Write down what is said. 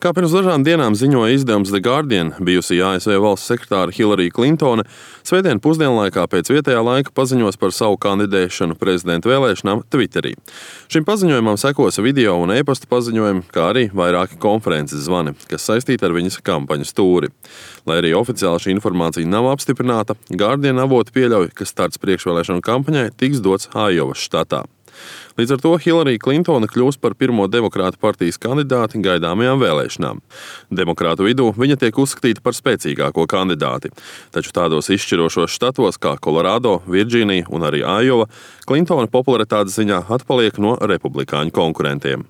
Kā pirms dažām dienām ziņoja izdevums The Guardian, bijusī ASV valsts sekretāra Hillary Clintone svētdien pusdienlaikā pēc vietējā laika paziņos par savu kandidēšanu prezidenta vēlēšanām Twitterī. Šim paziņojumam sekos video un e-pasta paziņojumi, kā arī vairāki konferences zvani, kas saistīti ar viņas kampaņas tūri. Lai arī oficiāli šī informācija nav apstiprināta, Guardian avoti pieļauj, ka starts priekšvēlēšanu kampaņai tiks dots Aiovas štatā. Līdz ar to Hillary Clintone kļūs par pirmo demokrātu partijas kandidāti gaidāmajām vēlēšanām. Demokrātu vidū viņa tiek uzskatīta par spēcīgāko kandidāti, taču tādos izšķirošos štatos kā Kolorādo, Virdžīnija un arī Aiova Clintone popularitātes ziņā atpaliek no republikāņu konkurentiem.